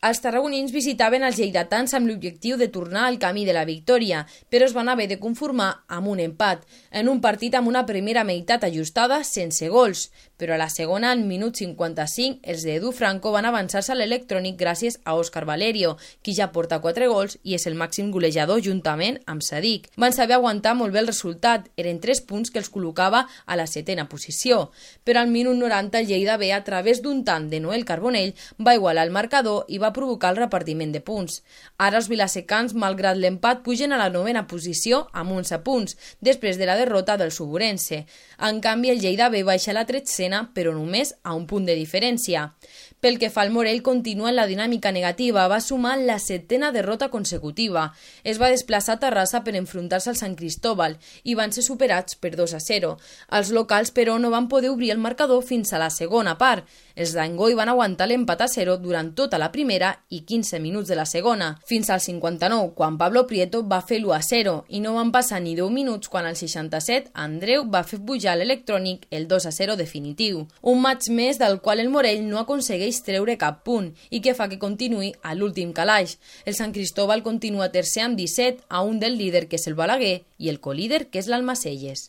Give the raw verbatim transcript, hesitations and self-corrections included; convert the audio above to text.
Els tarragonins visitaven els lleidatans amb l'objectiu de tornar al camí de la victòria, però es van haver de conformar amb un empat, en un partit amb una primera meitat ajustada sense gols, però a la segona, al minut cinquanta-cinc, els d'Edu Franco van avançar-se a l'Electrònic gràcies a Óscar Valerio, qui ja porta quatre gols i és el màxim golejador juntament amb Sadik. Van saber aguantar molt bé el resultat, eren tres punts que els col·locava a la setena posició, però al minut noranta el Lleida B, a través d'un tant de Noel Carbonell, va igualar el marcador i va provocar el repartiment de punts. Ara els vilasecans, malgrat l'empat, pugen a la novena posició amb onze punts, després de la derrota del Suburense. En canvi, el Lleida B baixa a la tretzena, però només a un punt de diferència. Pel que fa al Morell, continua en la dinàmica negativa, va sumar la setena derrota consecutiva. Es va desplaçar a Terrassa per enfrontar-se al Sant Cristóbal i van ser superats per dos a zero. Els locals, però, no van poder obrir el marcador fins a la segona part. Els d'Angoi van aguantar l'empat a zero durant tota la primera i quinze minuts de la segona, fins al cinquanta-nou, quan Pablo Prieto va fer l'u a zero, i no van passar ni deu minuts quan al seixanta-set Andreu va fer pujar l'Electrònic el dos a zero definitiu. Un maig més del qual el Morell no aconsegueix treure cap punt i que fa que continuï a l'últim calaix. El Sant Cristóbal continua tercer amb disset, a un del líder que és el Balaguer i el colíder que és l'Almacelles.